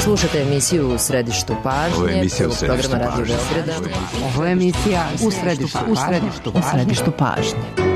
Slušate emisiju U središtu pažnje, programa Radio Beograda. Ovo je emisija U središtu pažnje.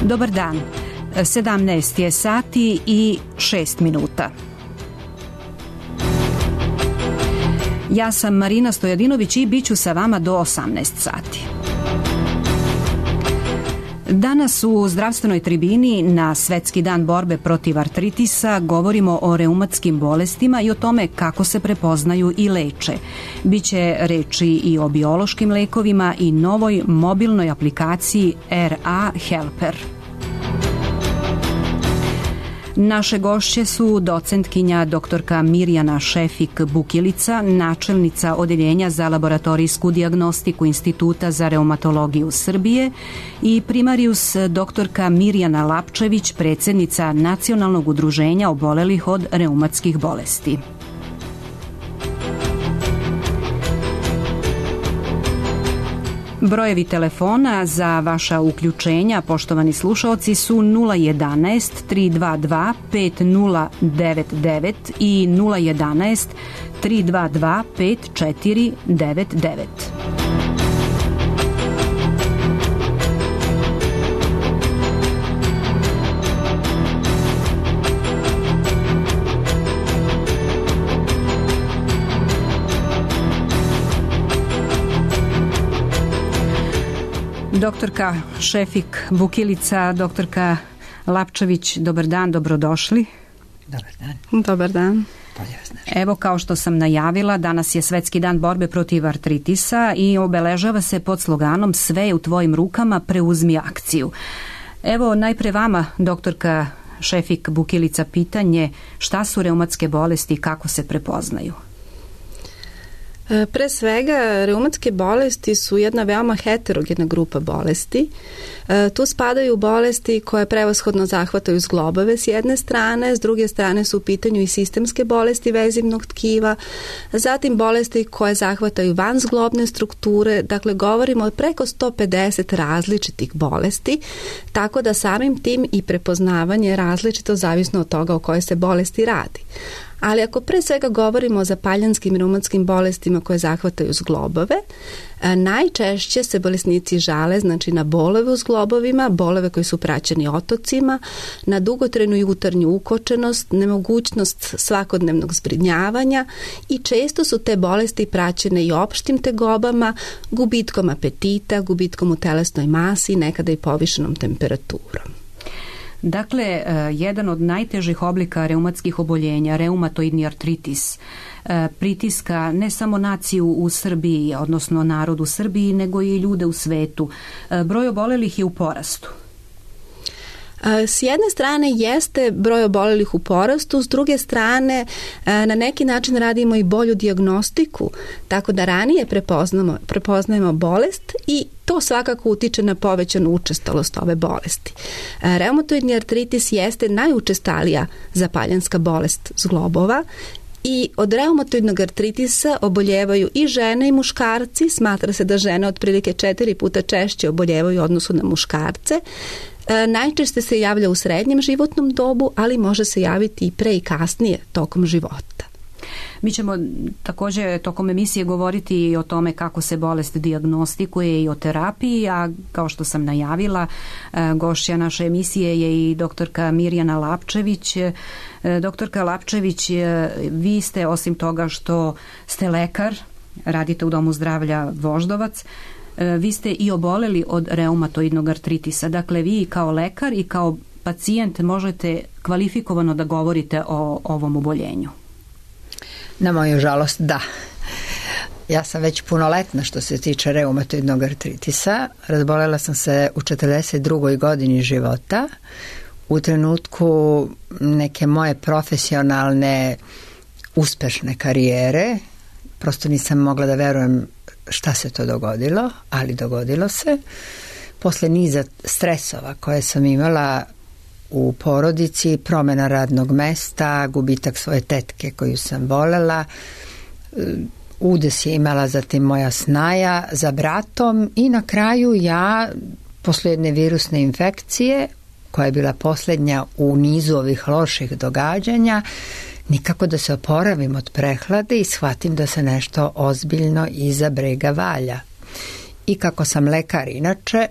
Dobar dan, 17 je sati i 6 minuta. Ja sam Marina Stojadinović i bit ću sa vama do 18 sati. Danas u zdravstvenoj tribini na Svetski dan borbe protiv artritisa govorimo o reumatskim bolestima i o tome kako se prepoznaju i leče. Biće reči i o biološkim lekovima i novoj mobilnoj aplikaciji RA Helper. Naše gošće su docentkinja doktorka Mirjana Šefik-Bukilica, načelnica Odeljenja za laboratorijsku dijagnostiku Instituta za reumatologiju Srbije i primarius doktorka Mirjana Lapčević, predsjednica Nacionalnog udruženja obolelih od reumatskih bolesti. Brojevi telefona za vaša uključenja, poštovani slušaoci, su 011 322 5099 i 011 322 5499. Doktorka Šefik-Bukilica, doktorka Lapčević, dobar dan, dobrodošli. Dobar dan. Dobar dan. Evo, kao što sam najavila, danas je Svetski dan borbe protiv artritisa i obeležava se pod sloganom Sve je u tvojim rukama, preuzmi akciju. Evo, najpre vama, doktorka Šefik-Bukilica, pitanje šta su reumatske bolesti i kako se prepoznaju? Pre svega, reumatske bolesti su jedna veoma heterogena grupa bolesti. Tu spadaju bolesti koje prevashodno zahvataju zglobove s jedne strane, s druge strane su u pitanju i sistemske bolesti vezivnog tkiva, zatim bolesti koje zahvataju vanzglobne strukture, dakle govorimo o preko 150 različitih bolesti, tako da samim tim i prepoznavanje je različito zavisno od toga o kojoj se bolesti radi. Ali ako pre svega govorimo o zapaljanskim reumatskim bolestima koje zahvataju zglobove, najčešće se bolesnici žale na bolove u zglobovima, bolove koji su praćeni otocima, na dugotrajnu jutarnju ukočenost, nemogućnost svakodnevnog zbrinjavanja i često su te bolesti praćene i opštim tegobama, gubitkom apetita, gubitkom u telesnoj masi i nekada i povišenom temperaturom. Dakle, jedan od najtežih oblika reumatskih oboljenja, reumatoidni artritis, pritiska ne samo naciju u Srbiji, odnosno narod u Srbiji, nego i ljude u svetu. Broj obolelih je u porastu. S jedne strane jeste broj obolelih u porastu, s druge strane na neki način radimo i bolju dijagnostiku, tako da ranije prepoznajemo bolest i to svakako utiče na povećanu učestalost ove bolesti. Reumatoidni artritis jeste najučestalija zapaljanska bolest zglobova i od reumatoidnog artritisa oboljevaju i žene i muškarci. Smatra se da žene otprilike 4 puta češće oboljevaju u odnosu na muškarce. Najčešće se javlja u srednjem životnom dobu, ali može se javiti i pre i kasnije tokom života. Mi ćemo također tokom emisije govoriti i o tome kako se bolest dijagnostikuje i o terapiji, a kao što sam najavila, gošća naše emisije je i doktorka Mirjana Lapčević. Doktorka Lapčević, vi ste osim toga što ste lekar, radite u Domu zdravlja Voždovac, vi ste i oboleli od reumatoidnog artritisa. Dakle, vi kao lekar i kao pacijent možete kvalifikovano da govorite o ovom oboljenju. Na moju žalost, da. Ja sam već punoletna što se tiče reumatoidnog artritisa. Razbolela sam se u 42. godini života. U trenutku neke moje profesionalne uspešne karijere. Prosto nisam mogla da verujem šta se to dogodilo, ali dogodilo se. Posle niza stresova koje sam imala u porodici, promjena radnog mesta, gubitak svoje tetke koju sam volela, udes je imala zatim moja snaja za bratom i na kraju ja, posle jedne virusne infekcije, koja je bila posljednja u nizu ovih loših događanja, nikako da se oporavim od prehlade i shvatim da se nešto ozbiljno iza brega valja. I kako sam lekar inače,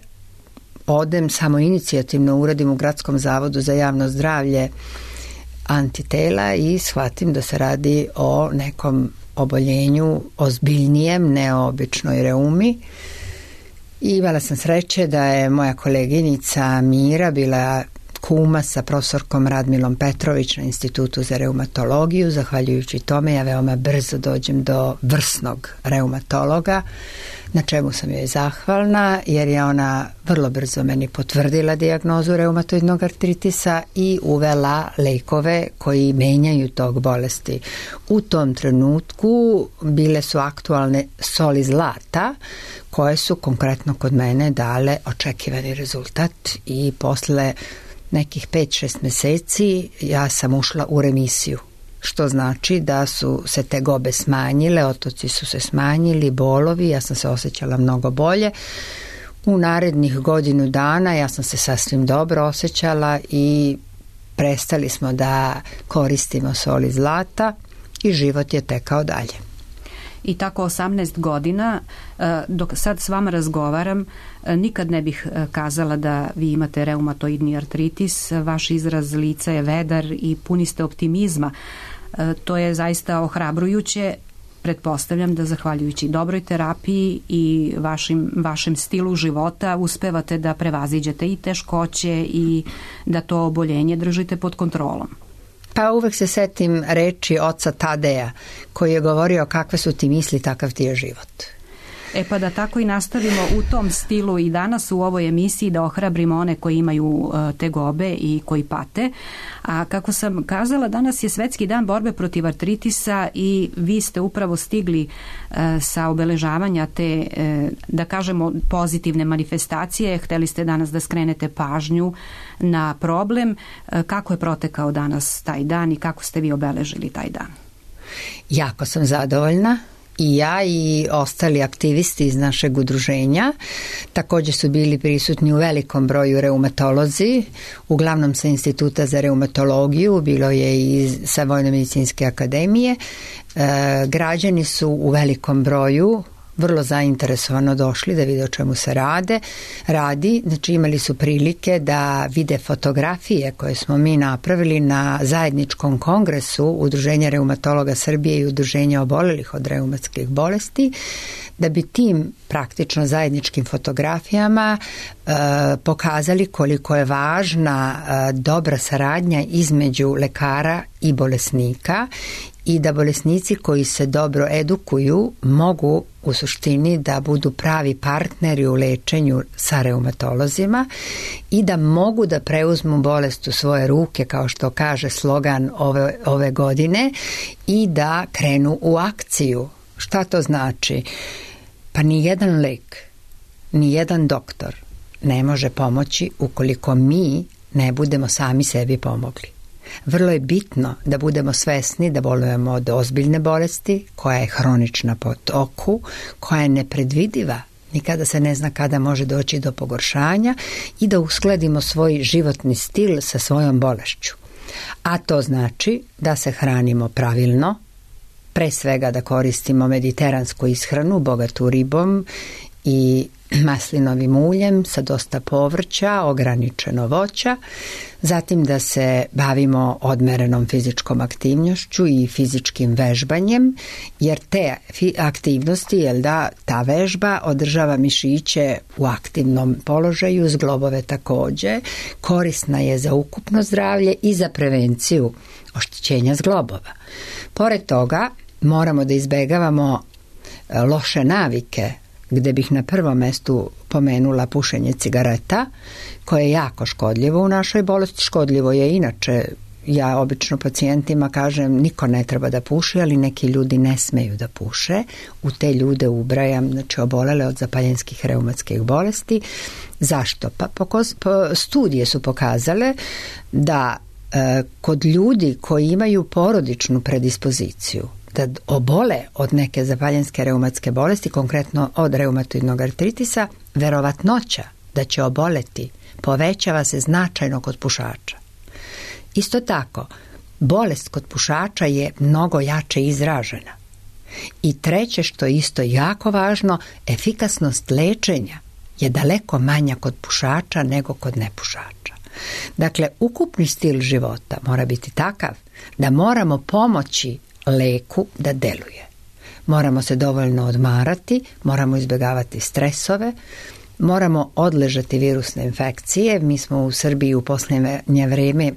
odem samo inicijativno, uradim u Gradskom zavodu za javno zdravlje antitela i shvatim da se radi o nekom oboljenju ozbiljnijem, neobičnoj reumi. I imala sam sreće da je moja koleginica Mira bila kuma sa profesorkom Radmilom Petrović na Institutu za reumatologiju. Zahvaljujući tome ja veoma brzo dođem do vrsnog reumatologa, na čemu sam joj zahvalna, jer je ona vrlo brzo meni potvrdila dijagnozu reumatoidnog artritisa i uvela lekove koji menjaju tog bolesti. U tom trenutku bile su aktualne soli zlata, koje su konkretno kod mene dale očekivani rezultat i posle nekih 5-6 meseci ja sam ušla u remisiju, što znači da su se tegobe smanjile, otoci su se smanjili, bolovi, ja sam se osjećala mnogo bolje. U narednih godinu dana ja sam se sasvim dobro osjećala i prestali smo da koristimo soli zlata i život je tekao dalje. I tako 18 godina, dok sad s vama razgovaram, nikad ne bih kazala da vi imate reumatoidni artritis. Vaš izraz lica je vedar i puni ste optimizma. To je zaista ohrabrujuće. Pretpostavljam da zahvaljujući dobroj terapiji i vašem stilu života uspevate da prevaziđete i teškoće i da to oboljenje držite pod kontrolom. Pa uvek se setim reči oca Tadeja koji je govorio kakve su ti misli, takav ti je život. Pa da tako i nastavimo u tom stilu i danas u ovoj emisiji da ohrabrimo one koji imaju tegobe i koji pate. A kako sam kazala, danas je Svetski dan borbe protiv artritisa i vi ste upravo stigli sa obeležavanja te, da kažemo, pozitivne manifestacije. Hteli ste danas da skrenete pažnju na problem. Kako je protekao danas taj dan i kako ste vi obeležili taj dan? Jako sam zadovoljna. I ja i ostali aktivisti iz našeg udruženja. Također su bili prisutni u velikom broju reumatolozi, uglavnom sa Instituta za reumatologiju, bilo je i sa Vojno-medicinske akademije. Građani su u velikom broju vrlo zainteresovano došli da vide o čemu se radi. Znači imali su prilike da vide fotografije koje smo mi napravili na zajedničkom kongresu Udruženja reumatologa Srbije i Udruženja obolelih od reumatskih bolesti, da bi tim praktično zajedničkim fotografijama pokazali koliko je važna dobra saradnja između lekara i bolesnika i da bolesnici koji se dobro edukuju mogu u suštini da budu pravi partneri u lečenju sa reumatolozima i da mogu da preuzmu bolest u svoje ruke, kao što kaže slogan ove godine, i da krenu u akciju. Šta to znači? Pa ni jedan lek, ni jedan doktor ne može pomoći ukoliko mi ne budemo sami sebi pomogli. Vrlo je bitno da budemo svesni da bolujemo od ozbiljne bolesti, koja je hronična po toku, koja je nepredvidiva, nikada se ne zna kada može doći do pogoršanja, i da uskladimo svoj životni stil sa svojom bolešću. A to znači da se hranimo pravilno, pre svega da koristimo mediteransku ishranu, bogatu ribom i maslinovim uljem sa dosta povrća, ograničeno voća, zatim da se bavimo odmerenom fizičkom aktivnošću i fizičkim vežbanjem, jer te aktivnosti, ta vežba održava mišiće u aktivnom položaju, zglobove takođe, korisna je za ukupno zdravlje i za prevenciju oštećenja zglobova. Pored toga, moramo da izbegavamo loše navike, gde bih na prvom mestu pomenula pušenje cigareta, koje je jako škodljivo u našoj bolesti. Škodljivo je inače, ja obično pacijentima kažem, niko ne treba da puši, ali neki ljudi ne smeju da puše. U te ljude ubrajam, znači, obolele od zapaljenskih reumatskih bolesti. Zašto? Pa studije su pokazale da kod ljudi koji imaju porodičnu predispoziciju da obole od neke zapaljenske reumatske bolesti, konkretno od reumatoidnog artritisa, verovatnoća da će oboleti povećava se značajno kod pušača. Isto tako, bolest kod pušača je mnogo jače izražena. I treće, što je isto jako važno, efikasnost lečenja je daleko manja kod pušača nego kod nepušača. Dakle, ukupni stil života mora biti takav da moramo pomoći leku da deluje. Moramo se dovoljno odmarati, moramo izbjegavati stresove, moramo odležati virusne infekcije. Mi smo u Srbiji u posljednje vrijeme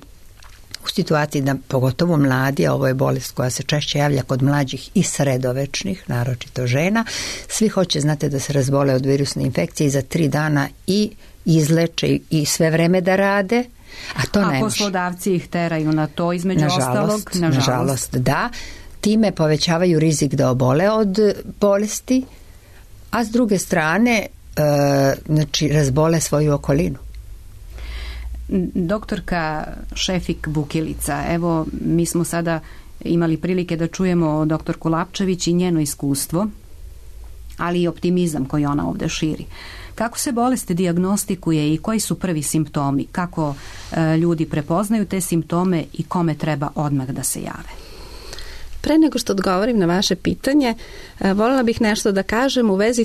u situaciji da pogotovo mladi, a ovo je bolest koja se češće javlja kod mlađih i sredovečnih, naročito žena, svi hoće, znate, da se razbole od virusne infekcije i za 3 dana i izleče i sve vreme da rade, a to ne može. A poslodavci ih teraju na to, između ostalog? Nažalost, da. Time povećavaju rizik da obole od bolesti, a s druge strane znači razbole svoju okolinu. Doktorka Šefik Bukilica, evo mi smo sada imali prilike da čujemo doktorku Lapčević i njeno iskustvo, ali i optimizam koji ona ovdje širi. Kako se bolest dijagnostikuje i koji su prvi simptomi? Kako ljudi prepoznaju te simptome i kome treba odmah da se jave? Pre nego što odgovorim na vaše pitanje, voljela bih nešto da kažem u vezi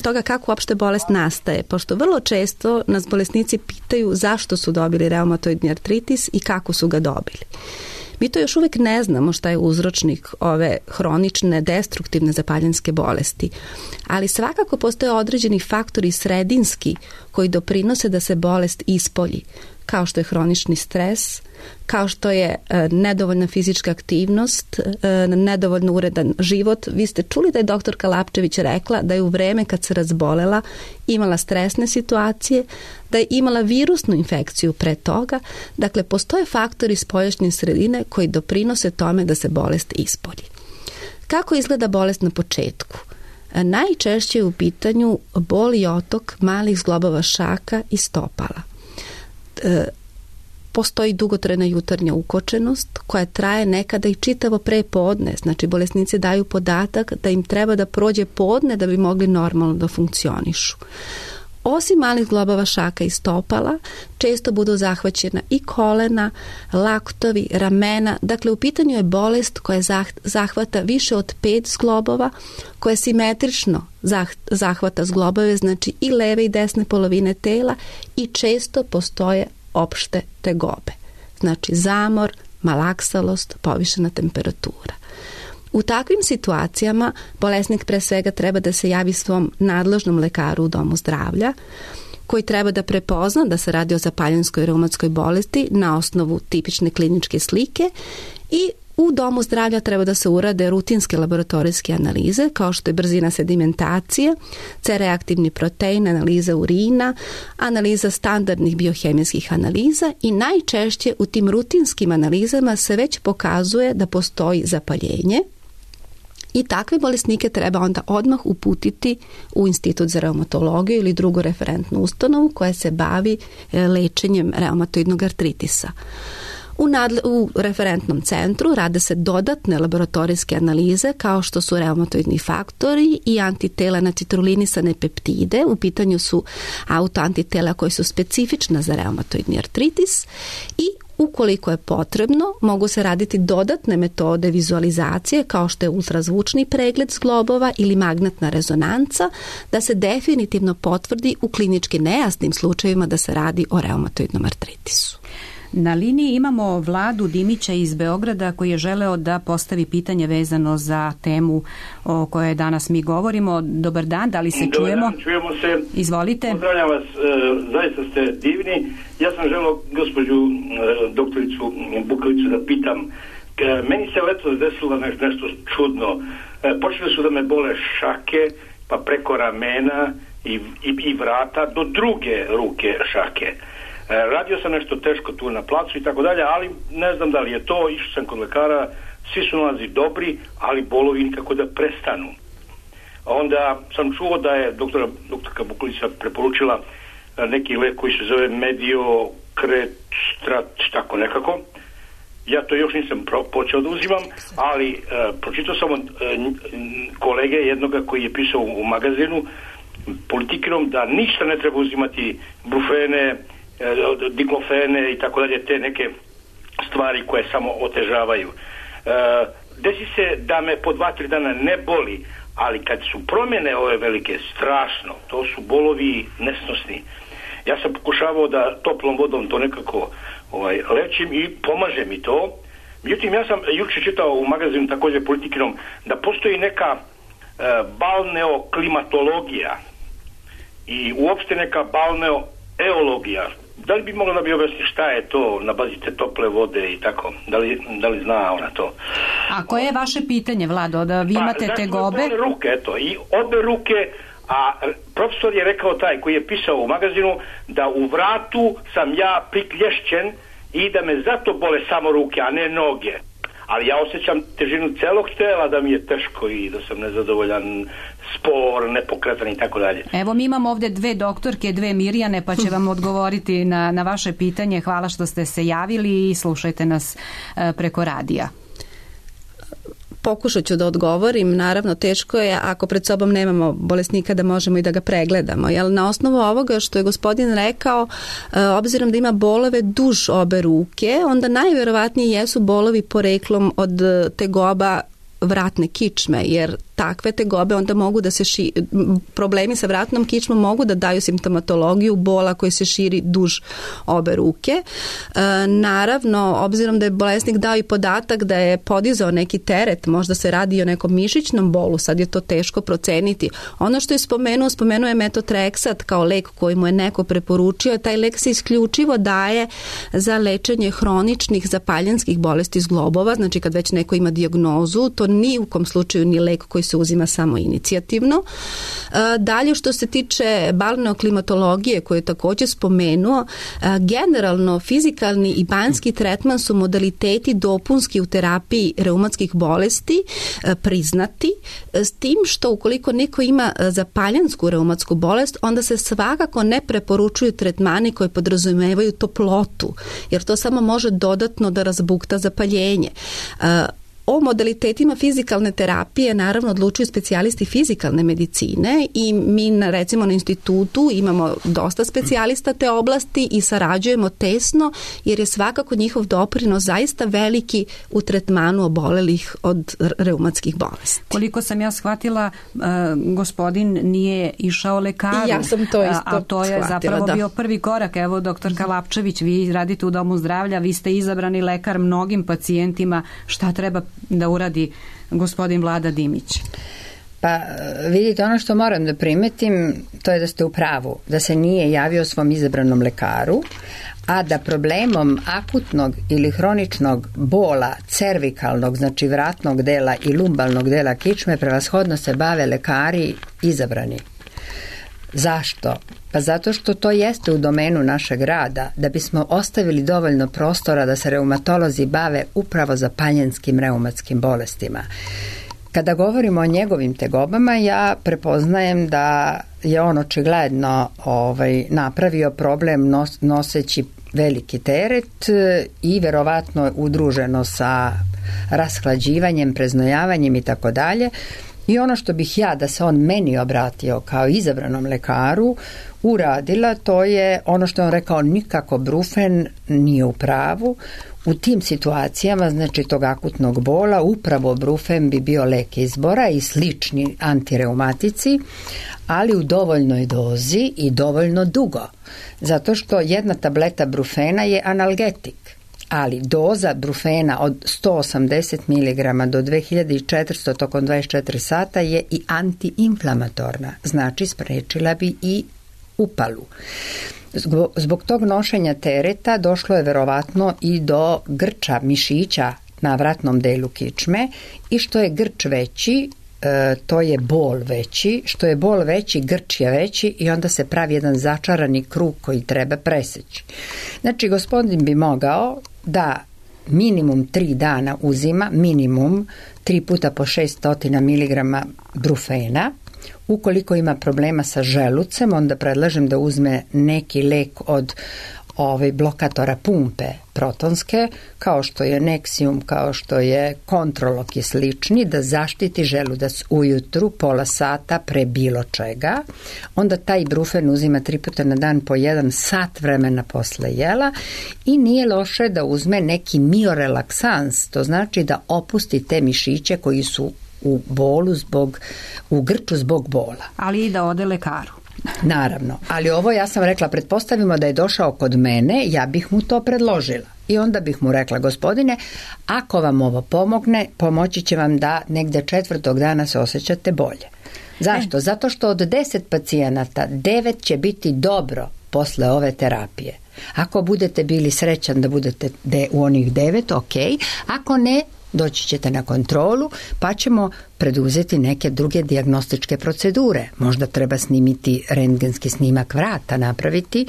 toga kako uopšte bolest nastaje, pošto vrlo često nas bolesnici pitaju zašto su dobili reumatoidni artritis i kako su ga dobili. Mi to još uvijek ne znamo šta je uzročnik ove hronične, destruktivne zapaljenske bolesti, ali svakako postoje određeni faktori sredinski koji doprinose da se bolest ispolji, kao što je hronični stres, kao što je nedovoljna fizička aktivnost, nedovoljno uredan život. Vi ste čuli da je doktorka Lapčević rekla da je u vreme kad se razbolela imala stresne situacije, da je imala virusnu infekciju pre toga. Dakle, postoje faktori spoljašnje sredine koji doprinose tome da se bolest ispolji. Kako izgleda bolest na početku? Najčešće je u pitanju bol i otok malih zglobova šaka i stopala. Postoji dugotrajna jutarnja ukočenost koja traje nekada i čitavo prepodne. Znači, bolesnici daju podatak da im treba da prođe podne da bi mogli normalno da funkcionišu. Osim malih zglobova šaka i stopala, često budu zahvaćena i kolena, laktovi, ramena. Dakle, u pitanju je bolest koja zahvata više od 5 zglobova, koja simetrično zahvata zglobove, znači i leve i desne polovine tela, i često postoje opšte tegobe. Znači zamor, malaksalost, povišena temperatura. U takvim situacijama bolesnik pre svega treba da se javi svom nadležnom lekaru u domu zdravlja, koji treba da prepozna da se radi o zapaljenskoj reumatskoj bolesti na osnovu tipične kliničke slike i U domu zdravlja treba da se urade rutinske laboratorijske analize, kao što je brzina sedimentacije, C-reaktivni protein, analiza urina, analiza standardnih biohemijskih analiza i najčešće u tim rutinskim analizama se već pokazuje da postoji zapaljenje i takve bolesnike treba onda odmah uputiti u Institut za reumatologiju ili drugu referentnu ustanovu koja se bavi lečenjem reumatoidnog artritisa. U referentnom centru rade se dodatne laboratorijske analize kao što su reumatoidni faktori i antitela na citrulinisane peptide. U pitanju su autoantitela koji su specifična za reumatoidni artritis i ukoliko je potrebno, mogu se raditi dodatne metode vizualizacije kao što je ultrazvučni pregled zglobova ili magnetna rezonanca da se definitivno potvrdi u klinički nejasnim slučajevima da se radi o reumatoidnom artritisu. Na liniji imamo Vladu Dimića iz Beograda koji je želeo da postavi pitanje vezano za temu o kojoj danas mi govorimo. Dobar dan, da li se čujemo? Dobar dan, čujemo se. Izvolite. Pozdravljam vas, zaista ste divni. Ja sam želeo gospođu doktoricu Bukalicu da pitam. Meni se letos desilo nešto čudno. Počele su da me bole šake, pa preko ramena i vrata do druge ruke šake. Radio sam nešto teško tu na placu i tako dalje, ali ne znam da li je to, išao sam kod lekara, svi su nalazi dobri, ali bolovi nikako da prestanu. Onda sam čuo da je doktorka Bukalica preporučila neki lek koji se zove Mediokretstrat, tako nekako. Ja to još nisam počeo da uzimam, ali pročitao sam od kolege jednoga koji je pisao u magazinu Politikinom da ništa ne treba uzimati, brufene, diklofene i tako dalje, te neke stvari koje samo otežavaju. Desi se da me po 2-3 dana ne boli, ali kad su promjene ove velike, strašno, to su bolovi nesnosni. Ja sam pokušavao da toplom vodom to nekako lečim i pomaže mi to. Međutim, ja sam juče čitao u magazinu također Politikinom da postoji neka balneoklimatologija i uopšte neka balneoeologija. Da li bi mogla da bi objasni šta je to na bazi te tople vode i tako? Da li zna ona to? A koje je vaše pitanje, Vlado? Da vi imate tegobe? Obe ruke, eto, i obe ruke, a profesor je rekao taj koji je pisao u magazinu da u vratu sam ja priklješćen i da me zato bole samo ruke, a ne noge. Ali ja osjećam težinu celog tela, da mi je teško i da sam nezadovoljan, spor, nepokretan i tako dalje. Evo, mi imamo ovdje 2 doktorke, 2 Mirjane, pa će vam odgovoriti na vaše pitanje. Hvala što ste se javili i slušajte nas preko radija. Pokušat ću da odgovorim. Naravno, teško je ako pred sobom nemamo bolesnika da možemo i da ga pregledamo. Jel, na osnovu ovoga što je gospodin rekao, obzirom da ima bolove duž obe ruke, onda najverovatnije jesu bolovi poreklom od tegoba vratne kičme, jer takve tegobe onda mogu da se problemi sa vratnom kičmom mogu da daju simptomatologiju bola koji se širi duž obe ruke. Naravno, obzirom da je bolesnik dao i podatak da je podizao neki teret, možda se radi o nekom mišićnom bolu, sad je to teško proceniti. Ono što je spomenuo je metotrexat kao lek koji mu je neko preporučio. Taj lek se isključivo daje za lečenje hroničnih zapaljenskih bolesti zglobova, znači kad već neko ima dijagnozu, to ni u kom slučaju ni lek koji se uzima samo inicijativno. Dalje, što se tiče balneoklimatologije koju je također spomenuo, generalno fizikalni i banjski tretman su modaliteti dopunski u terapiji reumatskih bolesti priznati, s tim što ukoliko neko ima zapaljensku reumatsku bolest, onda se svakako ne preporučuju tretmani koji podrazumevaju toplotu, jer to samo može dodatno da razbukta zapaljenje. O modalitetima fizikalne terapije naravno odlučuju specijalisti fizikalne medicine i mi recimo na institutu imamo dosta specijalista te oblasti i sarađujemo tesno jer je svakako njihov doprinos zaista veliki u tretmanu obolelih od reumatskih bolesti. Koliko sam ja shvatila, gospodin nije išao lekaru. Ja sam to isto a to je shvatila, zapravo bio prvi korak. Evo, doktorka Lapčević, vi radite u domu zdravlja, vi ste izabrani lekar mnogim pacijentima. Šta treba da uradi gospodin Vlada Dimić? Pa vidite, ono što moram da primetim, to je da ste u pravu, da se nije javio svom izabranom lekaru, a da problemom akutnog ili hroničnog bola cervikalnog, znači vratnog dela i lumbalnog dela kičme prevashodno se bave lekari izabrani. Zašto? Pa zato što to jeste u domenu našeg rada, da bismo ostavili dovoljno prostora da se reumatolozi bave upravo zapaljenskim reumatskim bolestima. Kada govorimo o njegovim tegobama, ja prepoznajem da je on očigledno napravio problem noseći veliki teret i verovatno udruženo sa rashlađivanjem, preznojavanjem i tako dalje. I ono što bih ja, da se on meni obratio kao izabranom lekaru, uradila, to je ono što on rekao, nikako brufen nije u pravu. U tim situacijama, znači tog akutnog bola, upravo brufen bi bio lek izbora i slični antireumatici, ali u dovoljnoj dozi i dovoljno dugo. Zato što jedna tableta brufena je analgetik. Ali doza brufena od 180 mg do 2400 tokom 24 sata je i antiinflamatorna, znači sprečila bi i upalu. Zbog tog nošenja tereta došlo je verovatno i do grča mišića na vratnom delu kičme i što je grč veći, to je bol veći, što je bol veći, grč je veći i onda se pravi jedan začarani krug koji treba preseći. Znači, gospodin bi mogao da minimum 3 dana uzima, minimum 3 puta po 600 mg brufena. Ukoliko ima problema sa želucem, onda predlažem da uzme neki lek od blokatora pumpe protonske, kao što je Nexium, kao što je Kontrolok i slični, da zaštiti želudac ujutru, pola sata pre bilo čega. Onda taj brufen uzima 3 puta na dan po 1 sat vremena posle jela i nije loše da uzme neki miorelaksans, to znači da opusti te mišiće koji su u bolu u grču zbog bola. Ali i da ode lekaru. Naravno, ali ovo ja sam rekla, pretpostavimo da je došao kod mene, ja bih mu to predložila. I onda bih mu rekla, gospodine, ako vam ovo pomogne, pomoći će vam da negde 4. dana se osjećate bolje. Zašto? Zato što od 10 pacijenata 9 će biti dobro posle ove terapije. Ako budete bili srećan da budete u onih 9, ok, ako ne, doći ćete na kontrolu, pa ćemo preduzeti neke druge dijagnostičke procedure. Možda treba snimiti rentgenski snimak vrata, napraviti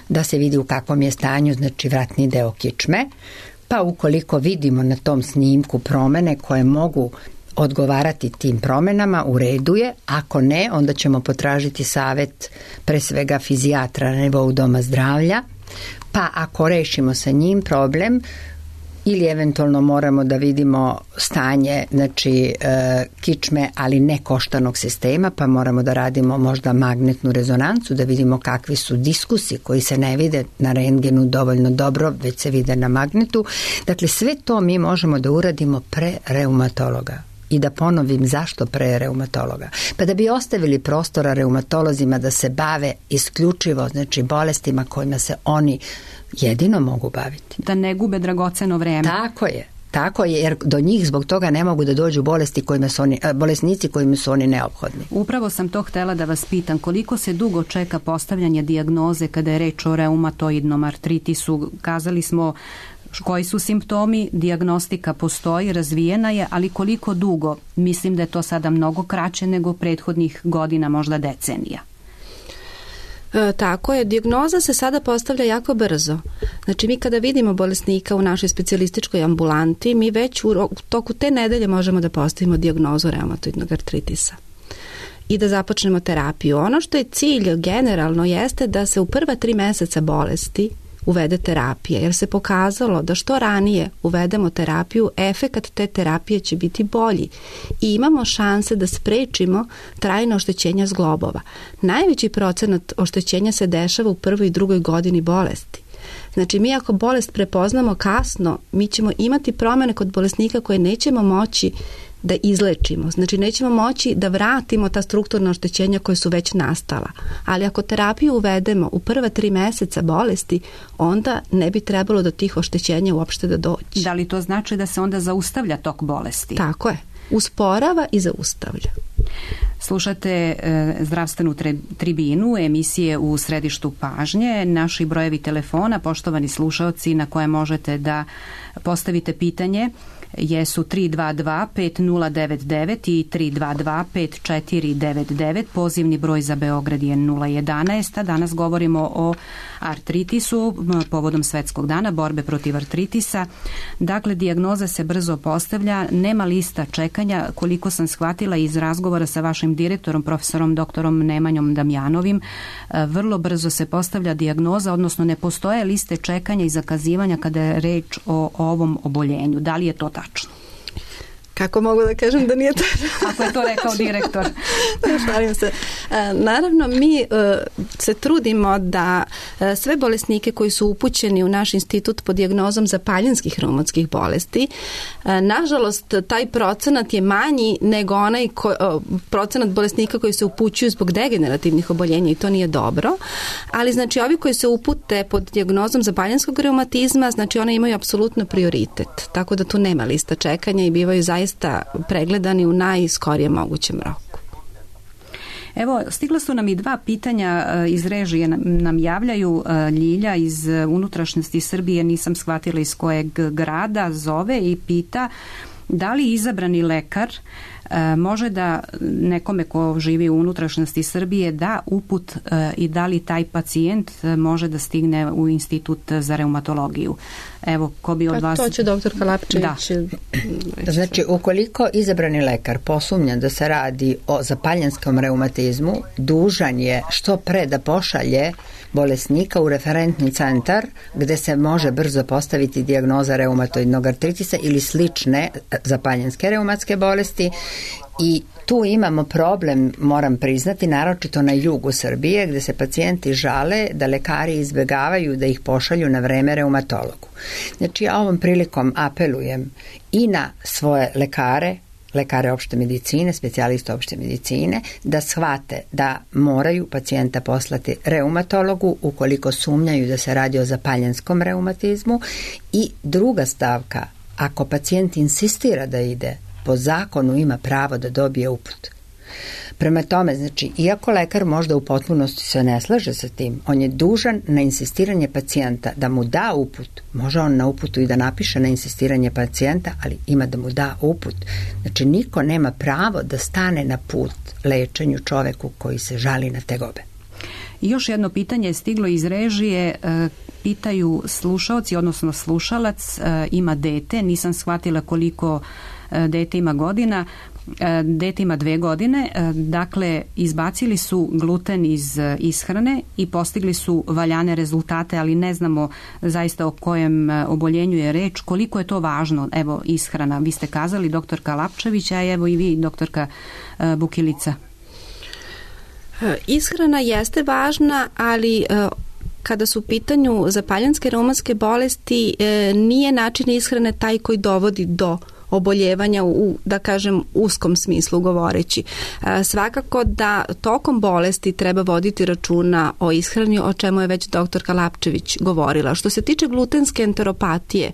da se vidi u kakvom je stanju, znači vratni deo kičme, pa ukoliko vidimo na tom snimku promene koje mogu odgovarati tim promenama, u redu je. Ako ne, onda ćemo potražiti savjet pre svega fizijatra na nivou doma zdravlja, pa ako rešimo sa njim problem, ili eventualno moramo da vidimo stanje, znači kičme, ali ne koštanog sistema, pa moramo da radimo možda magnetnu rezonancu, da vidimo kakvi su diskusi koji se ne vide na rentgenu dovoljno dobro, već se vide na magnetu. Dakle, sve to mi možemo da uradimo pre reumatologa. I da ponovim zašto pre reumatologa. Pa da bi ostavili prostora reumatolozima da se bave isključivo, znači bolestima kojima se oni jedino mogu baviti. Da ne gube dragoceno vreme. Tako je, jer do njih zbog toga ne mogu da dođu bolesnici kojima su oni neophodni. Upravo sam to htela da vas pitam, koliko se dugo čeka postavljanje dijagnoze kada je reč o reumatoidnom artritisu? Kazali smo koji su simptomi, dijagnostika postoji, razvijena je, ali koliko dugo? Mislim da je to sada mnogo kraće nego prethodnih godina, možda decenija. Tako je, dijagnoza se sada postavlja jako brzo. Znači mi kada vidimo bolesnika u našoj specijalističkoj ambulanti, mi već u toku te nedelje možemo da postavimo dijagnozu reumatoidnog artritisa i da započnemo terapiju. Ono što je cilj generalno jeste da se u prva 3 meseca bolesti uvede terapija, jer se pokazalo da što ranije uvedemo terapiju, efekat te terapije će biti bolji i imamo šanse da sprečimo trajno oštećenja zglobova. Najveći procenat oštećenja se dešava u prvoj i drugoj godini bolesti. Znači mi ako bolest prepoznamo kasno, mi ćemo imati promene kod bolesnika koje nećemo moći da izlečimo. Znači nećemo moći da vratimo ta strukturna oštećenja koje su već nastala. Ali ako terapiju uvedemo u prva 3 meseca bolesti, onda ne bi trebalo do tih oštećenja uopšte da dođe. Da li to znači da se onda zaustavlja tok bolesti? Tako je. Usporava i zaustavlja. Slušate zdravstvenu tribinu, emisije u središtu pažnje. Naši brojevi telefona, poštovani slušaoci, na koje možete da postavite pitanje, jesu 322-5099 i 322-5499. Pozivni broj za Beograd je 011. Danas govorimo o artritisu povodom Svetskog dana borbe protiv artritisa. Dakle, dijagnoza se brzo postavlja, nema lista čekanja. Koliko sam shvatila iz razgovora sa vašim direktorom, profesorom doktorom Nemanjom Damjanovim, vrlo brzo se postavlja dijagnoza, odnosno ne postoje liste čekanja i zakazivanja kada je reč o ovom oboljenju. Da li je to tačno? Kako mogu da kažem da nije tačno? Ako je to rekao direktor. Šalim se. Naravno, mi se trudimo da sve bolesnike koji su upućeni u naš institut pod dijagnozom zapaljenskih reumatskih bolesti, nažalost, taj procenat je manji nego onaj procenat bolesnika koji se upućuju zbog degenerativnih oboljenja i to nije dobro. Ali, znači, ovi koji se upute pod dijagnozom zapaljenskog reumatizma, znači, one imaju apsolutno prioritet. Tako da tu nema lista čekanja i bivaju zaista pregledani u najskorijem mogućem roku. Evo, stigla su nam i dva pitanja iz režije, nam javljaju. Ljilja iz unutrašnjosti Srbije, nisam shvatila iz kojeg grada, zove i pita da li izabrani lekar može da nekome ko živi u unutrašnjosti Srbije da uput i da li taj pacijent može da stigne u institut za reumatologiju. Evo, ko bi od vas... To će doktor Kalapčević... Da. Znači, ukoliko izabrani lekar posumnja da se radi o zapaljenskom reumatizmu, dužan je što pre da pošalje bolesnika u referentni centar gde se može brzo postaviti dijagnoza reumatoidnog artritisa ili slične zapaljenske reumatske bolesti. I tu imamo problem, moram priznati, naročito na jugu Srbije, gde se pacijenti žale da lekari izbegavaju da ih pošalju na vreme reumatologu. Znači, ja ovom prilikom apelujem i na svoje lekare opšte medicine, specijaliste opšte medicine, da shvate da moraju pacijenta poslati reumatologu ukoliko sumnjaju da se radi o zapaljenskom reumatizmu. I druga stavka, ako pacijent insistira da ide, po zakonu ima pravo da dobije uput. Prema tome, znači, iako lekar možda u potpunosti se ne slaže sa tim, on je dužan na insistiranje pacijenta da mu da uput. Može on na uputu i da napiše na insistiranje pacijenta, ali ima da mu da uput. Znači, niko nema pravo da stane na put lečenju čoveku koji se žali na tegobe. I još jedno pitanje je stiglo iz režije. Pitaju slušaoci, odnosno slušalac, ima dete, nisam shvatila koliko dete ima godina. Dete ima 2 godine, dakle izbacili su gluten iz ishrane i postigli su valjane rezultate, ali ne znamo zaista o kojem oboljenju je reč. Koliko je to važno? Evo, ishrana. Vi ste kazali, doktorka Lapčević, a evo i vi, doktorka Bukilica. Ishrana jeste važna, ali kada su u pitanju zapaljenske reumatske bolesti, nije način ishrane taj koji dovodi do oboljevanja u, da kažem, uskom smislu govoreći. Svakako da tokom bolesti treba voditi računa o ishrani, o čemu je već doktorka Lapčević govorila. Što se tiče glutenske enteropatije,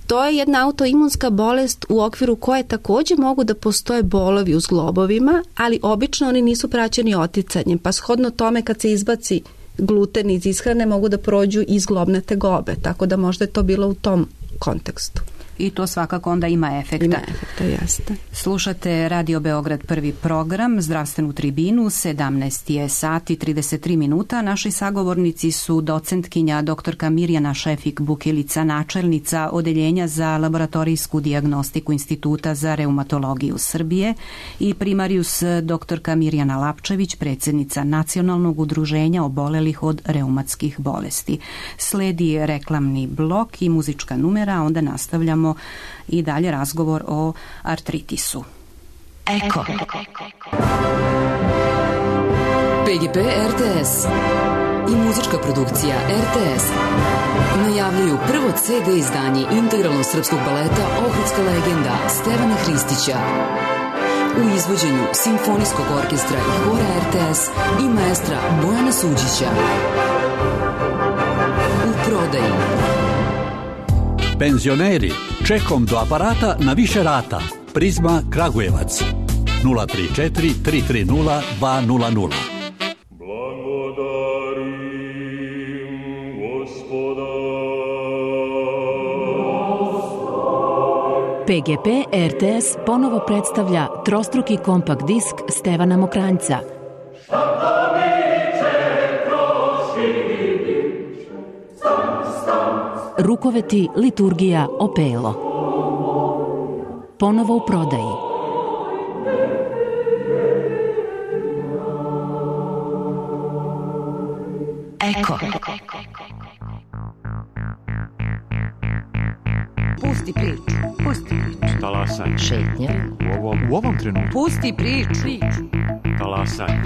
to je jedna autoimunska bolest u okviru koje također mogu da postoje bolovi u zglobovima, ali obično oni nisu praćeni oticanjem, pa shodno tome kad se izbaci gluten iz ishrane mogu da prođu i zglobne tegobe, tako da možda je to bilo u tom kontekstu. I to svakako onda ima efekta. Ima efekta, jeste. Slušate Radio Beograd, prvi program, zdravstvenu tribinu, 17 je sati 33 minuta. Naši sagovornici su docentkinja doktorka Mirjana Šefik-Bukilica, načelnica Odeljenja za laboratorijsku dijagnostiku Instituta za reumatologiju Srbije, i primarijus doktorka Mirjana Lapčević, predsjednica Nacionalnog udruženja obolelih od reumatskih bolesti. Sledi reklamni blok i muzička numera, onda nastavljamo i dalje razgovor o artritisu. Eko. PGP RTS i muzička produkcija RTS najavljuju prvo CD izdanje integralnog srpskog baleta Ohridska legenda Stevana Hristića u izvođenju Simfonijskog orkestra i hora RTS i maestra Bojana Suđića. U prodaji Penzioneri, čekom do aparata na više rata. Prizma Kragujevac. 034 330 200. PGP RTS ponovo predstavlja trostruki kompakt disk Stevana Mokranjca. Rukoveti, liturgija, opelo. Ponovo u prodaji. Eko. Pusti priču. Pusti priču. Talasanje. Šetnja. U ovom trenutku. Pusti priču. Talasanje.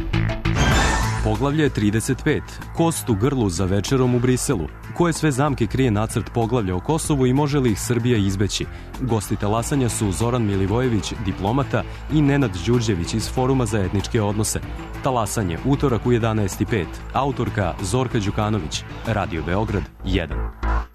Poglavlje 35. Kost u grlu za večerom u Briselu. Koje sve zamke krije nacrt poglavlja o Kosovu i može li ih Srbija izbeći? Gosti talasanja su Zoran Milivojević, diplomata, i Nenad Đurđević iz Foruma za etničke odnose. Talasanje, utorak u 11:05. Autorka Zorka Đukanović. Radio Beograd 1.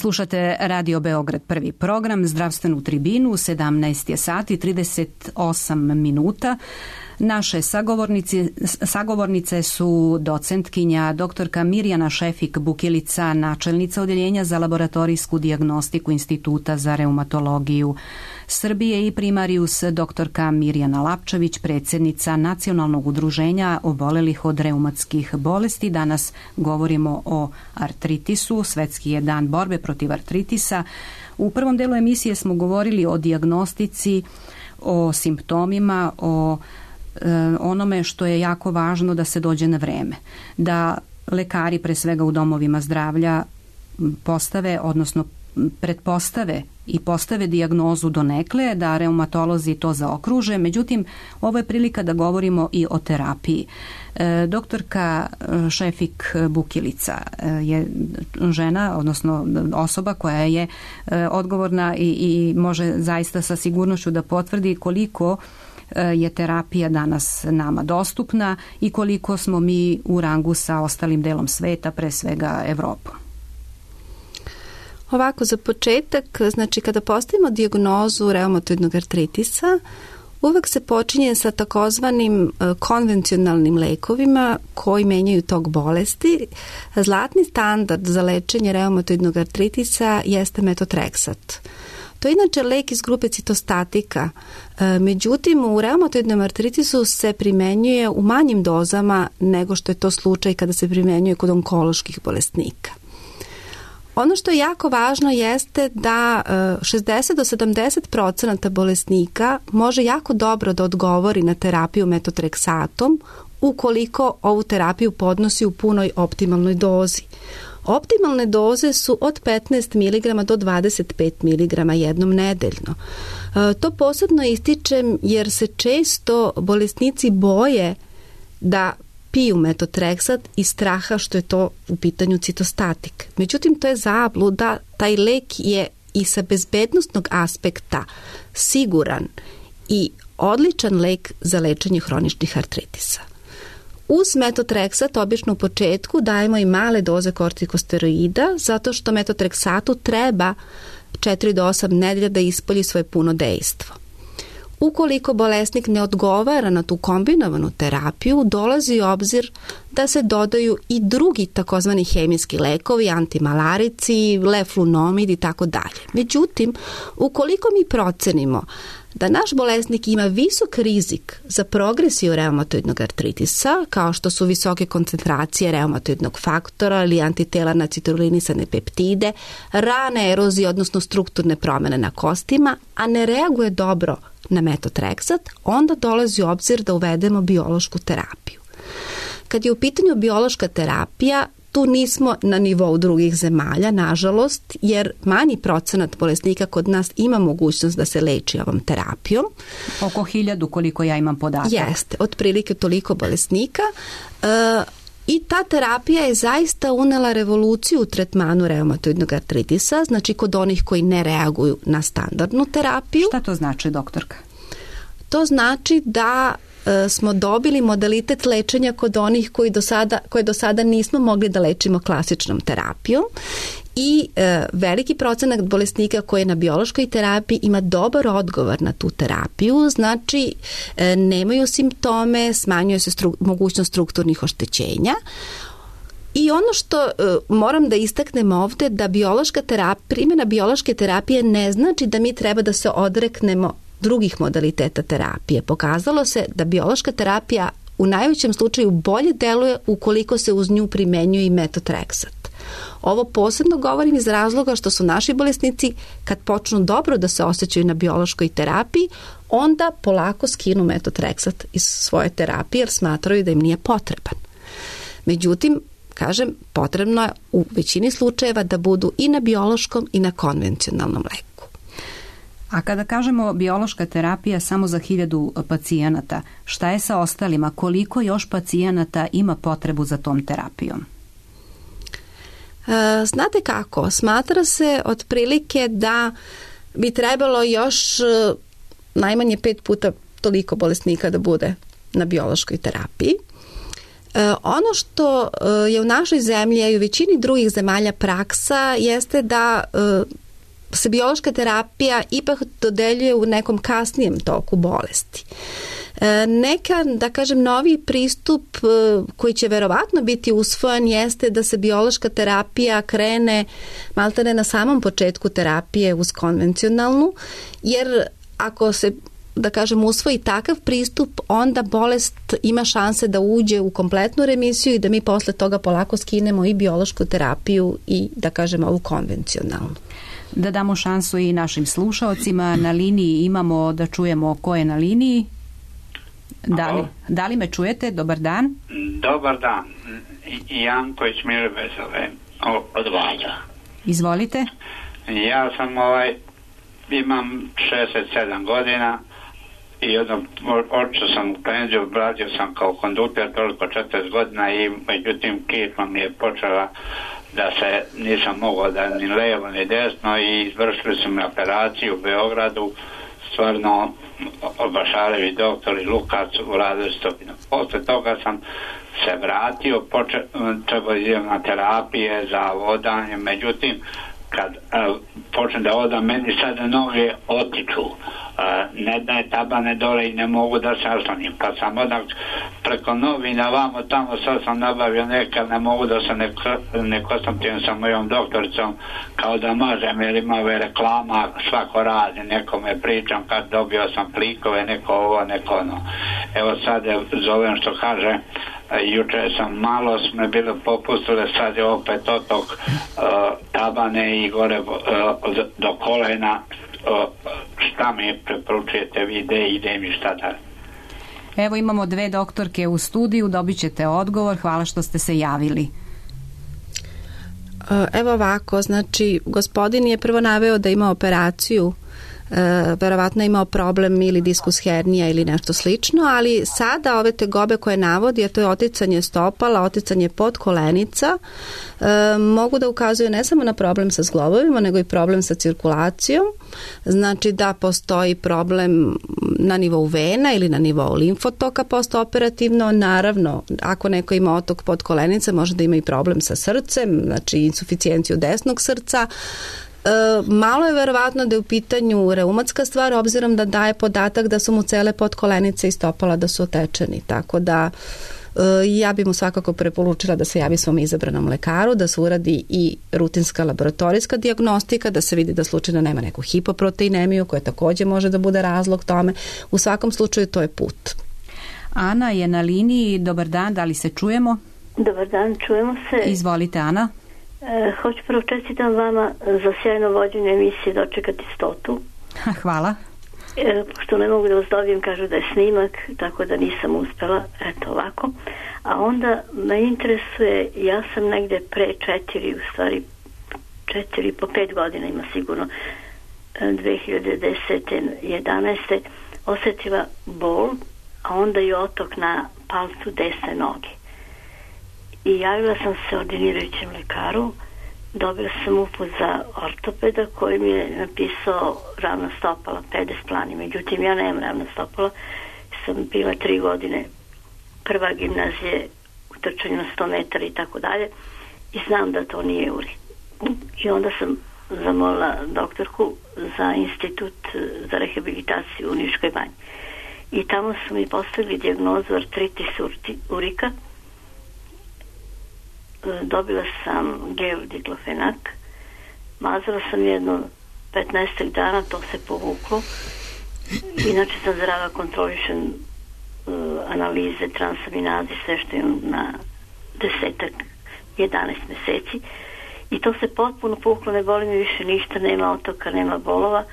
Slušate Radio Beograd, prvi program, zdravstvenu tribinu, 17 je sati, 38 minuta. Naše sagovornice su docentkinja doktorka Mirjana Šefik-Bukilica, načelnica Odeljenja za laboratorijsku dijagnostiku Instituta za reumatologiju Srbije, i primarius doktorka Mirjana Lapčević, predsjednica Nacionalnog udruženja obolelih od reumatskih bolesti. Danas govorimo o artritisu, svetski je dan borbe protiv artritisa. U prvom delu emisije smo govorili o dijagnostici, o simptomima, o onome što je jako važno da se dođe na vreme. Da lekari, pre svega u domovima zdravlja, postave, odnosno pretpostave i postave dijagnozu donekle, da reumatolozi to zaokruže. Međutim, ovo je prilika da govorimo i o terapiji. Doktorka Šefik-Bukilica je žena, odnosno osoba koja je odgovorna i može zaista sa sigurnošću da potvrdi koliko je terapija danas nama dostupna i koliko smo mi u rangu sa ostalim delom sveta, pre svega Evropom. Ovako, za početak, znači kada postavimo dijagnozu reumatoidnog artritisa, uvek se počinje sa takozvanim konvencionalnim lekovima koji menjaju tok bolesti. Zlatni standard za lečenje reumatoidnog artritisa jeste metotrexat. To je inače lek iz grupe citostatika, međutim u reumatoidnom artritisu se primenjuje u manjim dozama nego što je to slučaj kada se primenjuje kod onkoloških bolesnika. Ono što je jako važno jeste da 60 do 70% bolesnika može jako dobro da odgovori na terapiju metotrexatom ukoliko ovu terapiju podnosi u punoj optimalnoj dozi. Optimalne doze su od 15 mg do 25 mg jednom nedeljno. To posebno ističem jer se često bolesnici boje da piju metotrexat iz straha što je to u pitanju citostatik. Međutim, to je zabluda, taj lek je i sa bezbednostnog aspekta siguran i odličan lek za lečenje hroničnih artritisa. Uz metotrexat obično u početku dajemo i male doze kortikosteroida zato što metotrexatu treba 4 do 8 nedelja da ispolji svoje puno dejstvo. Ukoliko bolesnik ne odgovara na tu kombinovanu terapiju, dolazi u obzir da se dodaju i drugi takozvani hemijski lekovi, antimalarici, leflunomid i tako dalje. Međutim, ukoliko mi procenimo da naš bolesnik ima visok rizik za progresiju reumatoidnog artritisa, kao što su visoke koncentracije reumatoidnog faktora ili antitela na citrulinisane peptide, rane erozije, odnosno strukturne promene na kostima, a ne reaguje dobro na metotrexat, onda dolazi u obzir da uvedemo biološku terapiju. Kad je u pitanju biološka terapija, tu nismo na nivou drugih zemalja, nažalost, jer manji procenat bolesnika kod nas ima mogućnost da se leči ovom terapijom. Oko 1000, koliko ja imam podatak. Jeste, otprilike toliko bolesnika. I ta terapija je zaista unela revoluciju u tretmanu reumatoidnog artritisa, znači kod onih koji ne reaguju na standardnu terapiju. Šta to znači, doktorka? To znači da smo dobili modalitet lečenja kod onih koje do sada nismo mogli da lečimo klasičnom terapijom i veliki procenat bolesnika koji je na biološkoj terapiji ima dobar odgovor na tu terapiju, znači nemaju simptome, smanjuje se mogućnost strukturnih oštećenja. I ono što moram da istaknem ovde, da primjena biološke terapije ne znači da mi treba da se odreknemo drugih modaliteta terapije. Pokazalo se da biološka terapija u najvećem slučaju bolje deluje ukoliko se uz nju primenjuje i metotrexat. Ovo posebno govorim iz razloga što su naši bolesnici, kad počnu dobro da se osjećaju na biološkoj terapiji, onda polako skinu metotrexat iz svoje terapije jer smatraju da im nije potreban. Međutim, kažem, potrebno je u većini slučajeva da budu i na biološkom i na konvencionalnom leku. A kada kažemo biološka terapija samo za 1000 pacijenata, šta je sa ostalima? Koliko još pacijenata ima potrebu za tom terapijom? Znate kako, smatra se otprilike da bi trebalo još najmanje 5 puta toliko bolesnika da bude na biološkoj terapiji. Ono što je u našoj zemlji, a i u većini drugih zemalja praksa, jeste da se biološka terapija ipak dodeljuje u nekom kasnijem toku bolesti. Neka, da kažem, novi pristup koji će verovatno biti usvojen jeste da se biološka terapija krene maltene na samom početku terapije uz konvencionalnu, jer ako se, da kažem, usvoji takav pristup, onda bolest ima šanse da uđe u kompletnu remisiju i da mi posle toga polako skinemo i biološku terapiju i, da kažem, ovu konvencionalnu. Da damo šansu i našim slušaocima. Na liniji imamo, da čujemo ko je na liniji. Da li me čujete? Dobar dan. Dobar dan. Janković Milibe zove od Valja. Izvolite. Ja sam imam 67 godina i odšao sam u penziju, radio sam kao kondukter toliko 40 godina i međutim kičma mi je počela da se nisam mogao da ni levo ni desno i izvršili su mi operaciju u Beogradu, stvarno Bašarevi doktori Lukac uradili su to. Posle toga sam se vratio, trebao idem na terapije za vodanje, međutim kad počnem da odam, meni sada noge otiču, ne daje tabane dole i ne mogu da se oslonim, pa sam odak preko novina vamo tamo, sad sam nabavio neka, ne mogu da se ne kontaktiram sa mojom doktoricom kao da mažem, jer ima ove reklama, svako radi, nekome pričam kad dobio sam plikove, neko ovo, neko ono. Evo sad zovem što kaže, juče sam malo sme bilo popustile, sad je opet otok tabane i gore do kolena. Šta mi preporučujete vi, ide mi šta da? Evo imamo 2 doktorke u studiju, dobit ćete odgovor, hvala što ste se javili. Evo ovako, znači gospodin je prvo naveo da ima operaciju, verovatno imao problem ili diskus hernija ili nešto slično, ali sada ove tegobe koje navodi, a to je oticanje stopala, oticanje podkolenica, mogu da ukazuju ne samo na problem sa zglobovima, nego i problem sa cirkulacijom. Znači da postoji problem na nivou vena ili na nivou limfotoka postoperativno. Naravno, ako neko ima otok podkolenice, može da ima i problem sa srcem, znači insuficijenciju desnog srca. Malo je verovatno da je u pitanju reumatska stvar, obzirom da daje podatak da su mu cele podkolenice i stopala da su otečeni, tako da ja bi mu svakako preporučila da se javi svom izabranom lekaru, da se uradi i rutinska laboratorijska dijagnostika, da se vidi da slučajno nema neku hipoproteinemiju koja takođe može da bude razlog tome. U svakom slučaju to je put. Ana je na liniji. Dobar dan, da li se čujemo? Dobar dan, čujemo se. Izvolite, Ana. Hoću prvo čestitam vama za sjajno vođenje emisije Dočekati 100. Hvala. Pošto ne mogu da vas dobijem, kažu da je snimak, tako da nisam uspela, eto ovako. A onda me interesuje, ja sam negde pre 4 po 5 godina ima sigurno, 2010. 11. osetila bol, a onda i otok na palcu desne noge. I javila sam se ordinirajućem lekaru, dobila sam uput za ortopeda koji mi je napisao ravna stopala, pedesplani. Međutim, ja nemam ravna stopala, sam bila 3 godine prva gimnazije u trčanju na 100 metara i tako dalje i znam da to nije uri. I onda sam zamolila doktorku za institut za rehabilitaciju u Niškoj banji. I tamo su mi postavili dijagnozu artritis urika. Dobila sam gel diklofenak, mazala sam jedno 15 dana, to se povuklo. Inače sam zdrava, kontrolišem analize, transaminaze, sve što imam na 11 meseci. I to se potpuno povuklo, ne boli mi više ništa, nema otoka, nema bolova.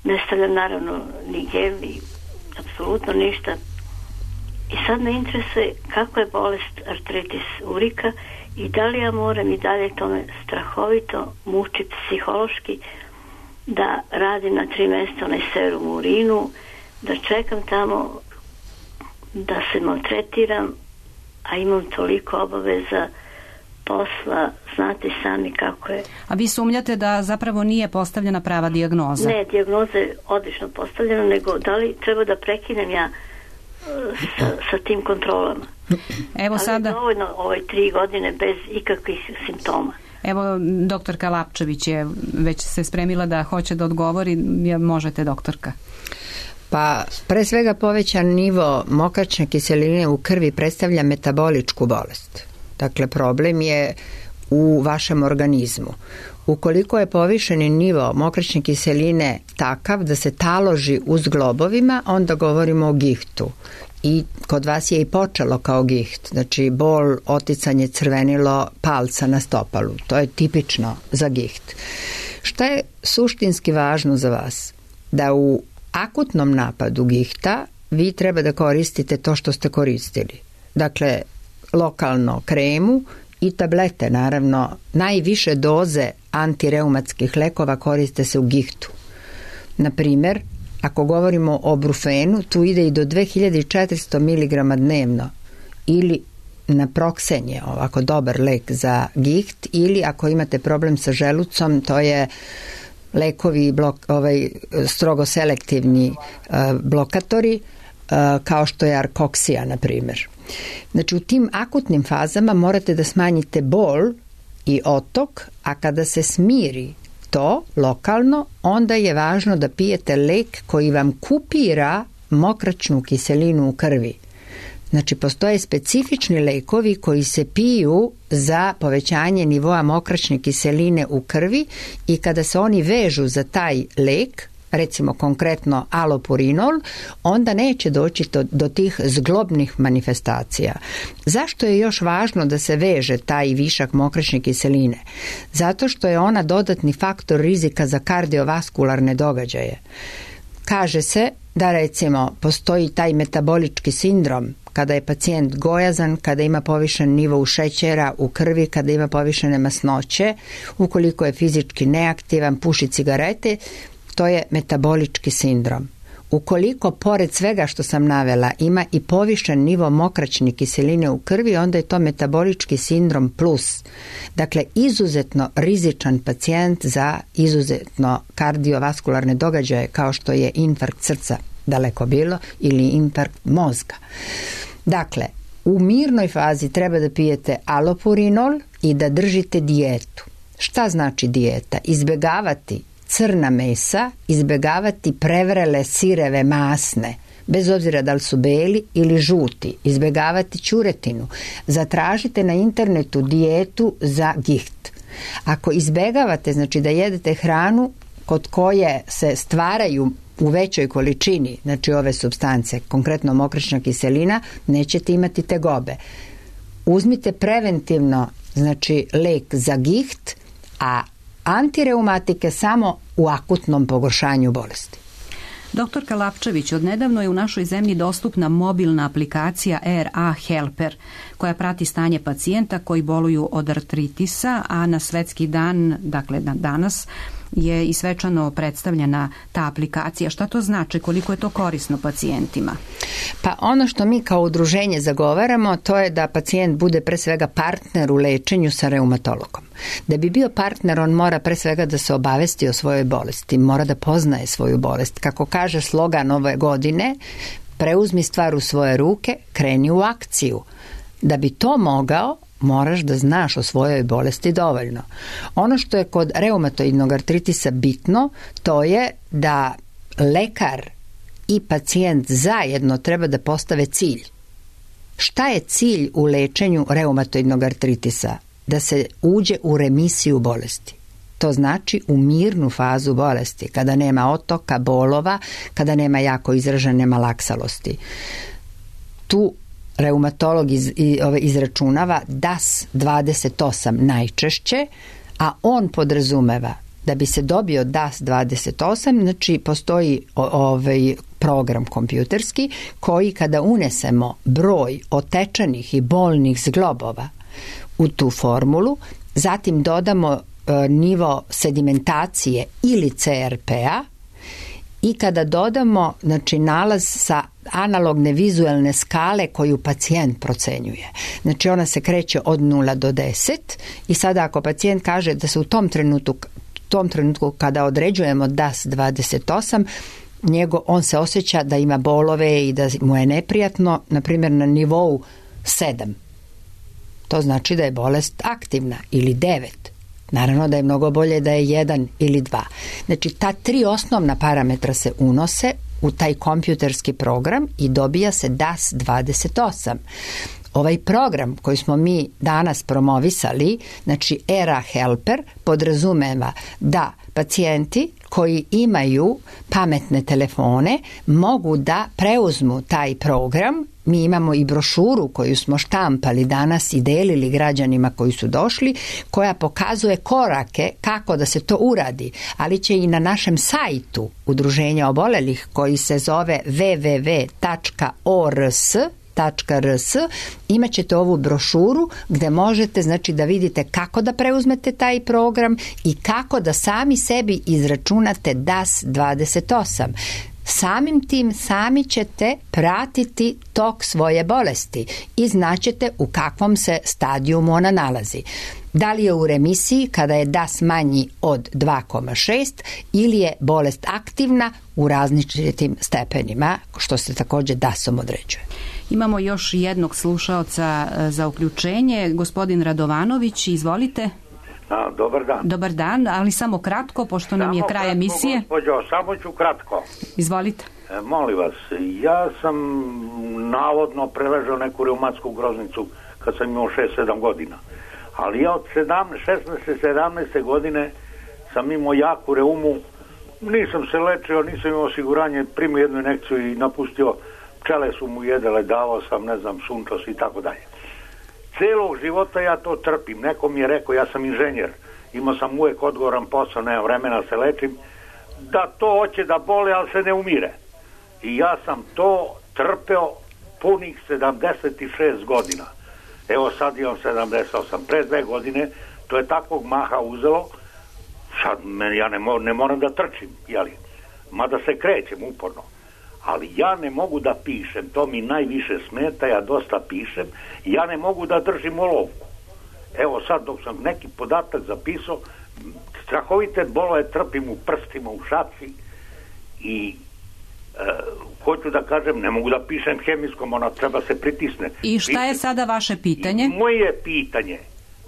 Ne stavljam naravno ni gel, ni apsolutno ništa. I sad me interesuje kako je bolest artritis urika i da li ja moram i dalje tome strahovito mučiti psihološki da radim na 3 mjesta onaj serum u urinu, da čekam tamo, da se maltretiram, a imam toliko obaveza posla, znate sami kako je. A vi sumnjate da zapravo nije postavljena prava dijagnoza? Ne, dijagnoza je odlično postavljena, nego da li treba da prekinem ja sa tim kontrolama. Evo sada... Ali dovoljno 3 godine bez ikakvih simptoma. Evo, doktorka Lapčević je već se spremila da hoće da odgovori. Možete, doktorka. Pa pre svega povećan nivo mokraćne kiseline u krvi predstavlja metaboličku bolest. Dakle, problem je u vašem organizmu. Ukoliko je povišeni nivo mokraćne kiseline takav da se taloži u zglobovima, onda govorimo o gihtu. I kod vas je i počelo kao giht, znači bol, oticanje, crvenilo palca na stopalu. To je tipično za giht. Šta je suštinski važno za vas? Da u akutnom napadu gihta vi treba da koristite to što ste koristili. Dakle, lokalno kremu i tablete, naravno. Najviše doze antireumatskih lekova koriste se u gihtu. Na primjer, ako govorimo o brufenu, tu ide i do 2400 mg dnevno ili naproksen je ovako dobar lek za giht, ili ako imate problem sa želucom, to je lekovi strogo selektivni blokatori, kao što je arkoksija, na primjer. Znači, u tim akutnim fazama morate da smanjite bol i otok, a kada se smiri to lokalno, onda je važno da pijete lek koji vam kupira mokraćnu kiselinu u krvi. Znači, postoje specifični lekovi koji se piju za povećanje nivoa mokraćne kiseline u krvi i kada se oni vežu za taj lek, recimo konkretno alopurinol, onda neće doći do tih zglobnih manifestacija. Zašto je još važno da se veže taj višak mokraćne kiseline? Zato što je ona dodatni faktor rizika za kardiovaskularne događaje. Kaže se da, recimo, postoji taj metabolički sindrom kada je pacijent gojazan, kada ima povišen nivo šećera u krvi, kada ima povišene masnoće, ukoliko je fizički neaktivan, puši cigarete, to je metabolički sindrom. Ukoliko, pored svega što sam navela, ima i povišen nivo mokraćne kiseline u krvi, onda je to metabolički sindrom plus. Dakle, izuzetno rizičan pacijent za izuzetno kardiovaskularne događaje, kao što je infarkt srca, daleko bilo, ili infarkt mozga. Dakle, u mirnoj fazi treba da pijete alopurinol i da držite dijetu. Šta znači dijeta? Izbjegavati crna mesa, izbjegavati prevrele sireve masne, bez obzira da li su beli ili žuti, izbjegavati ćuretinu. Zatražite na internetu dijetu za giht. Ako izbjegavate, znači da jedete hranu kod koje se stvaraju u većoj količini, znači ove supstance, konkretno mokraćna kiselina, nećete imati tegobe. Uzmite preventivno, znači lek za giht, a antireumatike samo u akutnom pogoršanju bolesti. Doktorka Lapčević, odnedavno je u našoj zemlji dostupna mobilna aplikacija RA Helper, koja prati stanje pacijenta koji boluju od artritisa, a na svetski dan, dakle danas, je i svečano predstavljena ta aplikacija. Šta to znači? Koliko je to korisno pacijentima? Pa ono što mi kao udruženje zagovaramo, to je da pacijent bude pre svega partner u lečenju sa reumatologom. Da bi bio partner, on mora pre svega da se obavesti o svojoj bolesti, mora da poznaje svoju bolest. Kako kaže slogan ove godine, preuzmi stvar u svoje ruke, kreni u akciju. Da bi to mogao, moraš da znaš o svojoj bolesti dovoljno. Ono što je kod reumatoidnog artritisa bitno, to je da lekar i pacijent zajedno treba da postave cilj. Šta je cilj u lečenju reumatoidnog artritisa? Da se uđe u remisiju bolesti. To znači u mirnu fazu bolesti, kada nema otoka, bolova, kada nema jako izražene malaksalosti. Tu reumatolog izračunava DAS 28 najčešće, a on podrazumeva da bi se dobio DAS 28, znači postoji program kompjuterski koji kada unesemo broj otečenih i bolnih zglobova u tu formulu, zatim dodamo nivo sedimentacije ili CRP-a i kada dodamo, znači, nalaz sa analogne vizualne skale koju pacijent procenjuje. Znači, ona se kreće od 0 do 10 i sada ako pacijent kaže da se u tom trenutku kada određujemo DAS 28, on se osjeća da ima bolove i da mu je neprijatno, na primjer na nivou 7. To znači da je bolest aktivna, ili 9. Naravno da je mnogo bolje da je 1 ili 2. Znači, ta 3 osnovna parametra se unose u taj kompjuterski program i dobija se DAS 28. Ovaj program koji smo mi danas promovisali, znači ERA Helper, podrazumeva da pacijenti koji imaju pametne telefone mogu da preuzmu taj program. Mi imamo i brošuru koju smo štampali danas i delili građanima koji su došli, koja pokazuje korake kako da se to uradi, ali će i na našem sajtu Udruženja obolelih koji se zove www.ors.rs imat ćete ovu brošuru gde možete znači da vidite kako da preuzmete taj program i kako da sami sebi izračunate DAS 28. Samim tim sami ćete pratiti tok svoje bolesti i znaćete u kakvom se stadijumu ona nalazi. Da li je u remisiji kada je DAS manji od 2,6 ili je bolest aktivna u različitim stepenima, što se također DAS-om određuje. Imamo još jednog slušaoca za uključenje. Gospodin Radovanović, izvolite. Dobar dan. Dobar dan, ali samo kratko, pošto nam je kraj emisije. Gospođo, samo ću kratko. Izvolite. Molim vas, ja sam navodno preležao neku reumatsku groznicu kad sam imao 6-7 godina. Ali ja od 16-17 godine sam imao jaku reumu, nisam se lečio, nisam imao osiguranje, primio jednu injekciju i napustio, pčele su mu jedele, davao sam, ne znam, sunčos i tako dalje. Celog života ja to trpim. Neko mi je rekao, ja sam inženjer, imao sam uvijek odgovoran posao, nemam vremena se lečim, da to hoće da boli, ali se ne umire. I ja sam to trpeo punih 76 godina. Evo sad imam 78. Pre 2 godine to je takvog maha uzelo, sad ja ne moram da trčim, jeli? Mada se krećem uporno. Ali ja ne mogu da pišem, to mi najviše smeta, ja dosta pišem, ja ne mogu da držim olovku. Evo sad dok sam neki podatak zapisao, strahovite bolove trpim u prstima, u šaci i hoću da kažem, ne mogu da pišem hemijskom, ona treba se pritisne. I šta je sada vaše pitanje? I moje pitanje,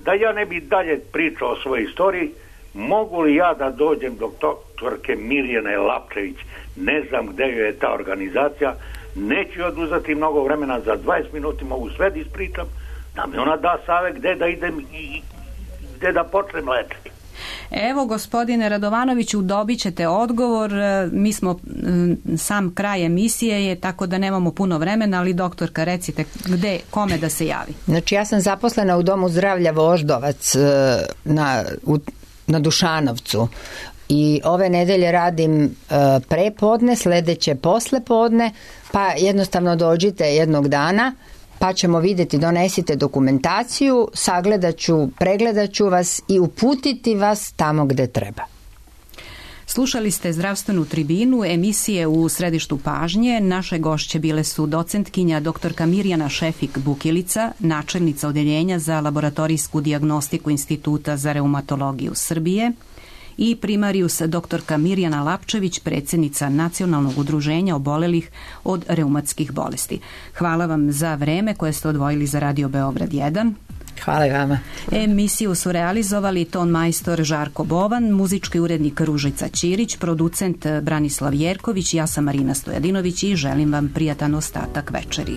da ja ne bi dalje pričao o svojoj istoriji, mogu li ja da dođem do doktorke Mirjane Lapčević, ne znam gde je ta organizacija, neću oduzeti mnogo vremena, za 20 minuta mogu sve da ispričam, da mi ona da savjet gde da idem i gde da počnem lečiti. Evo, gospodine Radovanoviću, dobit ćete odgovor. Mi smo sam kraj emisije je, tako da nemamo puno vremena, ali doktorka, recite kome da se javi. Znači, ja sam zaposlena u Domu zdravlja Voždovac na Dušanovcu i ove nedelje radim prepodne, sledeće poslepodne, pa jednostavno dođite jednog dana, pa ćemo vidjeti, donesite dokumentaciju, sagledaću, pregledaću vas i uputiti vas tamo gde treba. Slušali ste Zdravstvenu tribinu, emisije u središtu pažnje. Naše gošće bile su docentkinja doktorka Mirjana Šefik-Bukilica, načelnica Odeljenja za laboratorijsku dijagnostiku Instituta za reumatologiju Srbije, i primarius doktorka Mirjana Lapčević, predsjednica Nacionalnog udruženja obolelih od reumatskih bolesti. Hvala vam za vreme koje ste odvojili za Radio Beograd 1. Hvala i vama. Emisiju su realizovali ton majstor Žarko Bovan, muzički urednik Ružica Ćirić, producent Branislav Jerković, ja sam Marina Stojadinović i želim vam prijatan ostatak večeri.